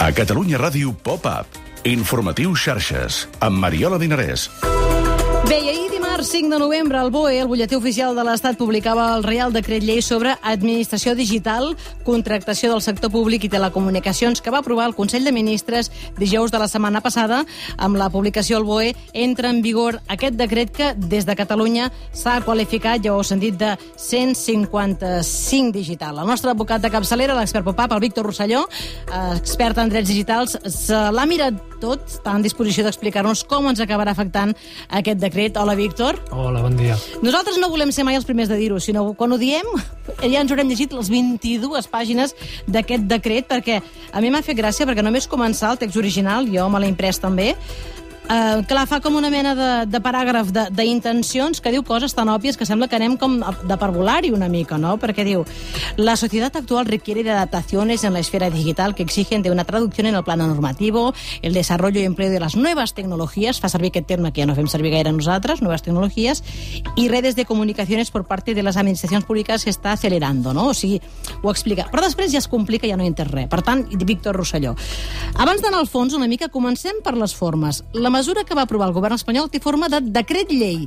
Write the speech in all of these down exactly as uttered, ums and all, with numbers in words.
A Catalunya Ràdio Pop-Up. Informatiu Xarxes, amb Mariola Dinarès. Bé, i ahir dimarts cinc de novembre el B O E, el butlletí oficial de l'Estat, publicava el Reial Decret Llei sobre Administració Digital, Contractació del Sector Públic i Telecomunicacions, que va aprovar el Consell de Ministres dijous de la setmana passada. Amb la publicació al B O E entra en vigor aquest decret que des de Catalunya s'ha qualificat, ja ho heu sentit, de cent cinquanta-cinc digital. El nostre advocat de capçalera, l'expert Pop-Up, el Víctor Rosselló, expert en drets digitals, se l'ha mirat tot, està en disposició d'explicar-nos com ens acabarà afectant aquest decret. Hola, Víctor. Hola, bon dia. Nosaltres no volem ser mai els primers de dir-ho, sinó quan ho diem ja ens haurem llegit les vint-i-dues pàgines d'aquest decret, perquè a mi m'ha fet gràcia, perquè només començar el text original, jo me l'he imprès també, Uh, clar, fa com una mena de, de paràgraf d'intencions que diu coses tan òbvies que sembla que anem com de parvulari una mica, no? Perquè diu: la sociedad actual requiere de adaptaciones en la esfera digital que exigen de una traducción en el plano normativo, el desarrollo y empleo de las nuevas tecnologías, fa servir aquest terme que ja no fem servir gaire nosaltres, nuevas tecnologías, y redes de comunicaciones por parte de las administracions públiques que està acelerando, no? O sigui, ho explica. Però després ja es complica, ja no hi entès res. Per tant, Víctor Rosselló, abans d'anar al fons una mica, comencem per les formes. La mesura que va aprovar el govern espanyol té forma de decret llei.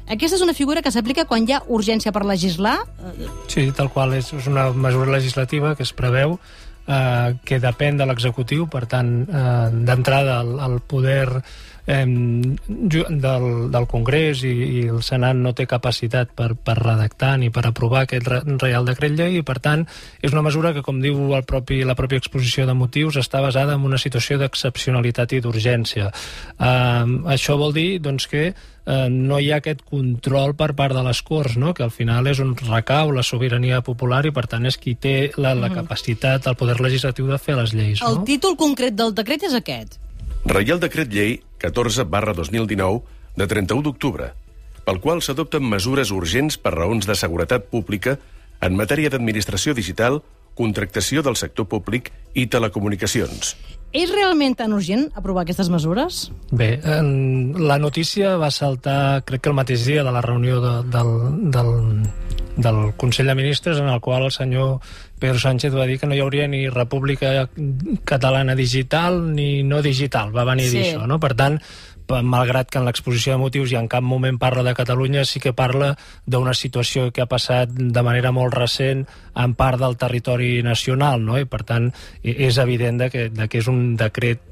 Aquesta és una figura que s'aplica quan hi ha urgència per legislar? Sí, tal qual. És una mesura legislativa que es preveu eh, que depèn de l'executiu, per tant, eh, d'entrada el, el poder eh, del, del Congrés i, i el Senat no té capacitat per, per redactar ni per aprovar aquest Reial Decret Llei i, per tant, és una mesura que, com diu el propi, la pròpia exposició de motius, està basada en una situació d'excepcionalitat i d'urgència. Eh, això vol dir doncs, que eh, no hi ha aquest control per part de les Corts, no? Que al final és on recau la sobirania popular i, per tant, és qui té la, la capacitat, el poder legislatiu de fer les lleis. El no? títol concret del decret és aquest. Reial Decret Llei catorze barra dos mil dinou de trenta-u d'octubre, pel qual s'adopten mesures urgents per raons de seguretat pública en matèria d'administració digital, contractació del sector públic i telecomunicacions. És realment tan urgent aprovar aquestes mesures? Bé, eh, la notícia va saltar, crec que el mateix dia de la reunió de, del, del, del Consell de Ministres, en el qual el senyor Pedro Sánchez va dir que no hi hauria ni República Catalana digital ni no digital, va venir a dir sí. això, no? Per tant, malgrat que en l'exposició de motius i en cap moment parla de Catalunya, sí que parla d'una situació que ha passat de manera molt recent en part del territori nacional, no? I per tant és evident de que, de que és un decret,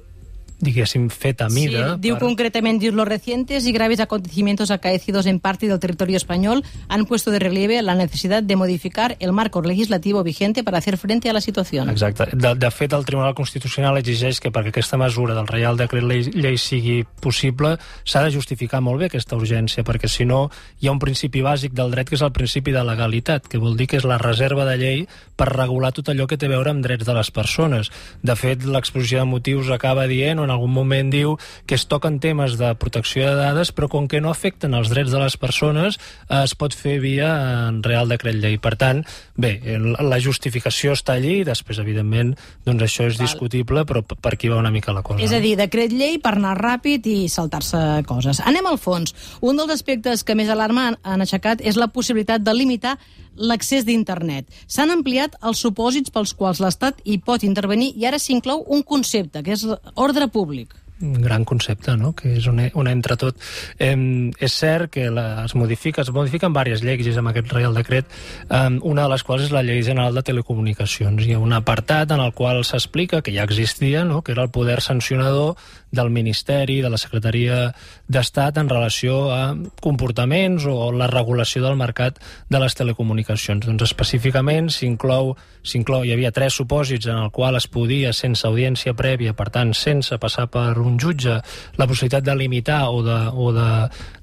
diguéssim, fet a mida. Sí, diu per... concretament, diu, los recientes y graves acontecimientos acaecidos en parte del territorio español han puesto de relieve la necesidad de modificar el marco legislativo vigente para hacer frente a la situación. Exacte. De, de fet, el Tribunal Constitucional exigeix que perquè aquesta mesura del Reial Decret Llei, llei sigui possible s'ha de justificar molt bé aquesta urgència, perquè si no hi ha un principi bàsic del dret que és el principi de legalitat, que vol dir que és la reserva de llei per regular tot allò que té a veure amb drets de les persones. De fet, l'exposició de motius acaba dient, en algun moment diu que es toquen temes de protecció de dades, però com que no afecten els drets de les persones, eh, es pot fer via en Reial Decret Llei. Per tant, bé, la justificació està allí, després, evidentment, doncs això és Val. discutible, però per aquí va una mica la cosa. És a dir, decret llei per anar ràpid i saltar-se coses. Anem al fons. Un dels aspectes que més alarma han aixecat és la possibilitat de limitar l'accés d'internet. S'han ampliat els supòsits pels quals l'Estat hi pot intervenir i ara s'inclou un concepte, que és ordre públic. Un gran concepte, no? Que és un, un entre tot. Eh, és cert que la, es modifica, es modifiquen diverses lleis amb aquest Reial Decret, eh, una de les quals és la Llei General de Telecomunicacions. Hi ha un apartat en el qual s'explica que ja existia, no? Que era el poder sancionador del Ministeri, de la Secretaria d'Estat en relació a comportaments o la regulació del mercat de les telecomunicacions. Doncs específicament s'inclou, s'inclou, hi havia tres supòsits en el qual es podia, sense audiència prèvia, per tant, sense passar per un jutge, la possibilitat de limitar o de, o de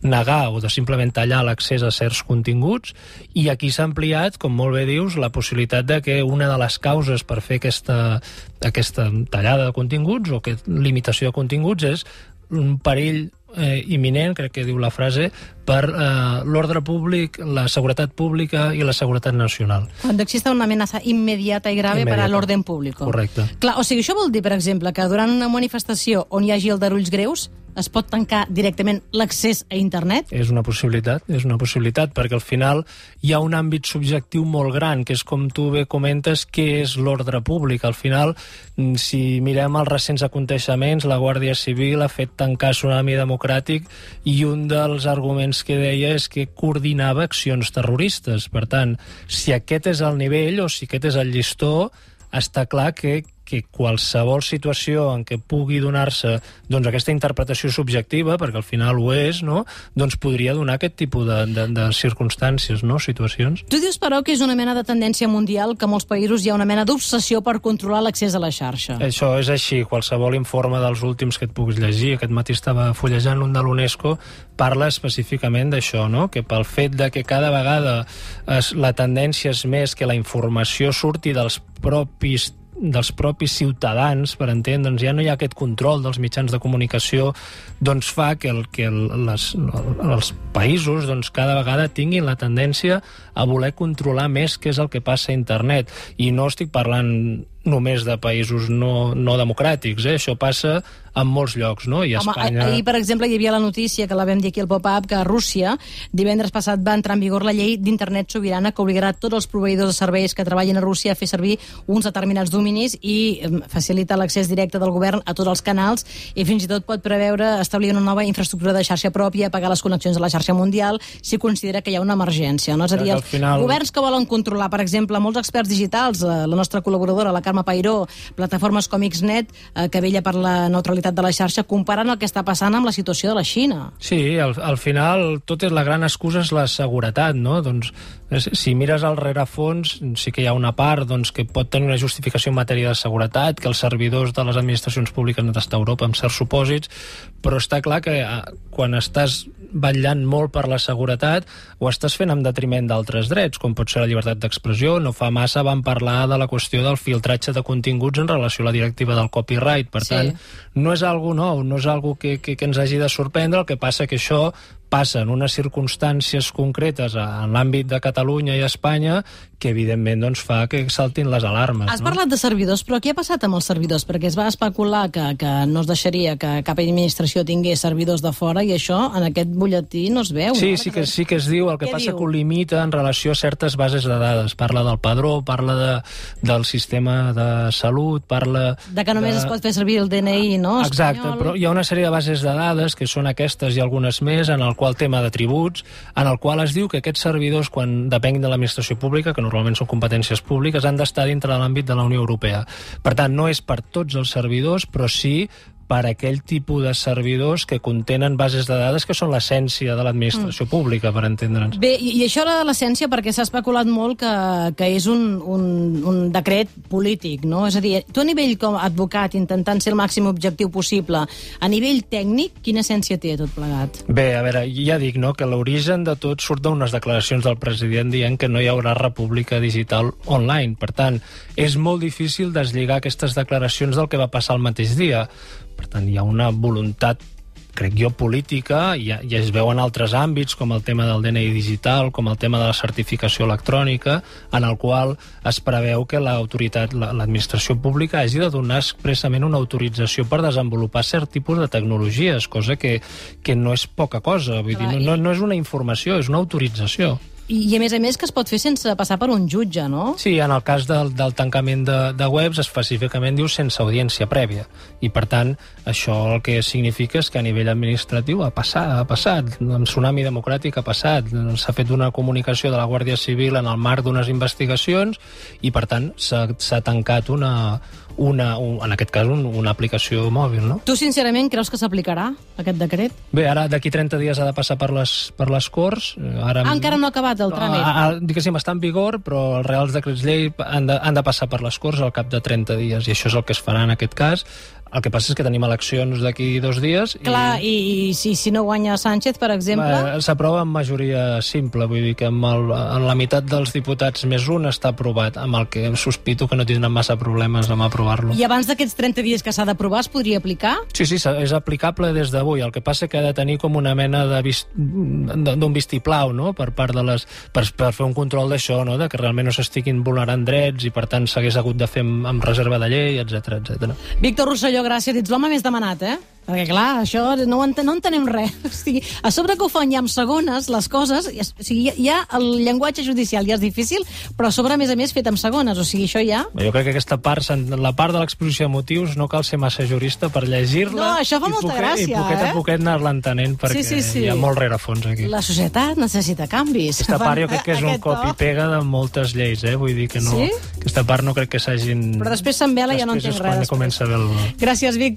negar o de simplement tallar l'accés a certs continguts, i aquí s'ha ampliat, com molt bé dius, la possibilitat de que una de les causes per fer aquesta, aquesta tallada de continguts o aquesta limitació de continguts és un perill eh, imminent, crec que diu la frase, per eh, l'ordre públic, la seguretat pública i la seguretat nacional. Quan exista una amenaça immediata i grave per a l'ordre públic. Correcte. Clar, o sigui, això vol dir, per exemple, que durant una manifestació on hi hagi aldarulls greus es pot tancar directament l'accés a internet? És una possibilitat, és una possibilitat, perquè al final hi ha un àmbit subjectiu molt gran, que és com tu bé comentes, què és l'ordre públic. Al final, si mirem els recents aconteixements, la Guàrdia Civil ha fet tancar Tsunami Democràtic i un dels arguments que deia és que coordinava accions terroristes. Per tant, si aquest és el nivell o si aquest és el llistó, està clar que, que qualsevol situació en què pugui donar-se doncs, aquesta interpretació subjectiva, perquè al final ho és, no? Doncs podria donar aquest tipus de, de, de circumstàncies, no? Situacions. Tu dius, però, que és una mena de tendència mundial, que a molts països hi ha una mena d'obsessió per controlar l'accés a la xarxa. Això és així. Qualsevol informe dels últims que et puguis llegir, aquest matí estava fullejant un de l'UNESCO, parla específicament d'això, no? Que pel fet de que cada vegada es, la tendència és més que la informació surti dels propis dels propis ciutadans, per entendre'ns, ja no hi ha aquest control dels mitjans de comunicació, doncs fa que, el, que el, les, els països doncs, cada vegada tinguin la tendència a voler controlar més què és el que passa a internet. I no estic parlant només de països no, no democràtics, eh? Això passa en molts llocs, no? I a Home, Espanya... ahir, per exemple, hi havia la notícia, que la vam dir aquí al Pop-Up, que a Rússia divendres passat va entrar en vigor la llei d'internet sobirana que obligarà tots els proveïdors de serveis que treballin a Rússia a fer servir uns determinats dominis i facilita l'accés directe del govern a tots els canals i fins i tot pot preveure establir una nova infraestructura de xarxa pròpia, pagar les connexions a la xarxa mundial si considera que hi ha una emergència, no? És a dir, els final... governs que volen controlar, per exemple, molts experts digitals, la nostra col·laboradora, la Carme Pairó, plataformes com Xnet, eh, que vella per la neutralitat de la xarxa, comparant el que està passant amb la situació de la Xina. Sí, al, al final tot és la gran excusa és la seguretat, no? Doncs si mires al rerefons, sí que hi ha una part doncs, que pot tenir una justificació en matèria de seguretat, que els servidors de les administracions públiques han d'estar a Europa amb certs supòsits, però està clar que quan estàs vetllant molt per la seguretat ho estàs fent en detriment d'altres drets, com pot ser la llibertat d'expressió. No fa massa vam parlar de la qüestió del filtratge de continguts en relació a la directiva del copyright. Per Sí. tant, no és algo nou, no és algo que, que, que ens hagi de sorprendre. El que passa que això passa en unes circumstàncies concretes en l'àmbit de Catalunya i Espanya que evidentment doncs, fa que saltin les alarmes. Has no? parlat de servidors, però què ha passat amb els servidors? Perquè es va especular que, que no es deixaria que cap administració tingués servidors de fora i això en aquest butlletí no es veu. Sí, no? sí que, sí que es diu. El que Què passa diu? que ho limita en relació a certes bases de dades. Parla del padró, parla de, del sistema de salut, parla... De que només de... es pot fer servir el D N I, no? Exacte, espanyol. però hi ha una sèrie de bases de dades que són aquestes i algunes més, en el qual tema de tributs, en el qual es diu que aquests servidors, quan depenguin de l'administració pública, que normalment són competències públiques, han d'estar dintre de l'àmbit de la Unió Europea. Per tant, no és per tots els servidors, però sí per aquell tipus de servidors que contenen bases de dades que són l'essència de l'administració mm. pública, per entendre'ns. Bé, i, i això de l'essència, perquè s'ha especulat molt que, que és un, un, un decret polític, no? És a dir, tu a nivell com a advocat, intentant ser el màxim objectiu possible, a nivell tècnic, quina essència té tot plegat? Bé, a veure, ja dic, no?, que l'origen de tot surt d'unes declaracions del president dient que no hi haurà república digital online. Per tant, és molt difícil deslligar aquestes declaracions del que va passar el mateix dia. Per tant, hi ha una voluntat, crec jo, política, i ja, ja es veu en altres àmbits, com el tema del D N I digital, com el tema de la certificació electrònica, en el qual es preveu que l'autoritat, l'administració pública hagi de donar expressament una autorització per desenvolupar cert tipus de tecnologies, cosa que, que no és poca cosa. Vull dir, no, no, no és una informació, és una autorització. I, I a més a més que es pot fer sense passar per un jutge, no? Sí, en el cas del, del tancament de, de webs específicament diu sense audiència prèvia i per tant això el que significa és que a nivell administratiu ha passat, ha passat, amb Tsunami Democràtic ha passat, s'ha fet una comunicació de la Guàrdia Civil en el marc d'unes investigacions i per tant s'ha tancat una, una, un, en aquest cas un, una aplicació mòbil, no? Tu sincerament creus que s'aplicarà aquest decret? Bé, ara d'aquí trenta dies ha de passar per les, per les Corts. Ara... Ah, encara no ha acabat el tràmit. Ah, ah, diguéssim, està en vigor, però els reals decrets llei han de, han de passar per les Corts al cap de trenta dies, i això és el que es farà en aquest cas. El que passa és que tenim eleccions d'aquí dos dies... Clar, i, i si, si no guanya Sánchez, per exemple... S'aprova amb majoria simple, vull dir que amb, el, amb la meitat dels diputats més un està aprovat, amb el que sospito que no tindran massa problemes amb aprovar-lo. I abans d'aquests trenta dies que s'ha d'aprovar es podria aplicar? Sí, sí, és aplicable des d'avui. El que passa que ha de tenir com una mena de vist, d'un vistiplau, no?, per part de les... Per, per fer un control d'això, no?, de que realment no s'estiguin vulnerant drets i per tant s'hagués hagut de fer amb, amb reserva de llei, etcètera, etcètera. Víctor Rosselló, gràcies. Ets l'home més demanat, eh? Perquè, clar, això no, ent no entenem res. O sigui, a sobre que ho fan ja amb segones, les coses, o sigui, ja el llenguatge judicial ja és difícil, però a sobre, a més a més, fet amb segones. O sigui, això ja... Jo crec que aquesta part, la part de l'exposició de motius, no cal ser massa jurista per llegir-la. No, això fa molta poquet, gràcia, i poquet eh? a poquet anar-la entenent, perquè sí, sí, sí. hi ha molt rerefons aquí. La societat necessita canvis. Aquesta part jo crec que és un cop i pega de moltes lleis, eh? Vull dir que no... Sí? Aquesta part no crec que s'hagin... Però després se'n vela i ja no entenc res. Després és quan comença a veure... Gràcies, Víctor.